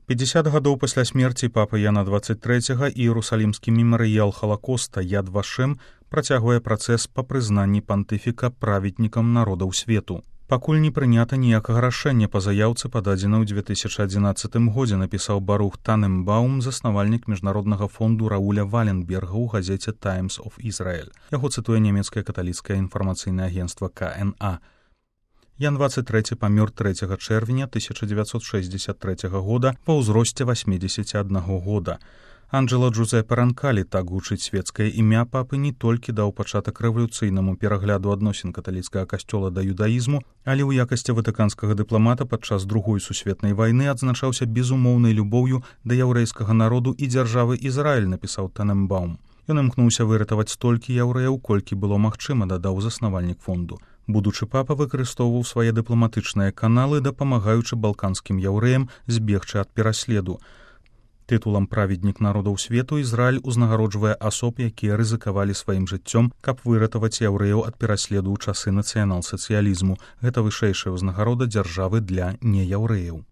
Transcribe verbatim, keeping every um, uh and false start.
пятьдесят гадоў пасля смерці папы Яна двадцать трэцяга іерусалімскі мемарыял Халакоста Яд Вашем працягвае працэс па прызнанні пантыфіка праведнікам народаў свету. Пакуль не прынята ніякага рашэння па заяўцы, пададзенай у две тысячы адзінаццатым годзе, напісаў Барух Таненбаум, заснавальнік міжнароднага фонду Рауля Валенберга ў газеце Times of Israel. Яго цытуе нямецкае каталіцкае інфармацыйнае агенцтва Ка Эн А. Ян двадцать трэці памёр трэцяга чэрвеня тысяча дзевяцьсот шэсцьдзесят трэцяга года ва ўзросце васьмідзесяці аднаго года. Анджело Джузеппе Ранкалі, так гучыць свецкае імя папы, не толькі даў пачатак рэвалюцыйнаму перагляду адносін каталіцкага касцёла да юдаізму, але ў якасці ватыканскага дыпламата падчас другой сусветнай вайны адзначаўся безумоўнай любоўю да яўрэйскага народу і дзяржавы Ізраіль, напісаў Таненбаум. Ён імкнуўся выратаваць столькі яўрэяў, колькі было магчыма, дадаў заснавальнік фонду. Будучы папа выкарыстоўваў свае дыпламатычныя каналы, дапамагаючы балканскім яўрэям збегчы ад пераследу. Тытулам праведнік народаў свету Ізраіль узнагароджвае асоб, якія рызыкавалі сваім жыццём, каб выратаваць яўрэяў ад пераследу ў часы нацыянал-сацыялізму. Гэта вышэйшая ўзнагарода дзяржавы для неяўрэяў.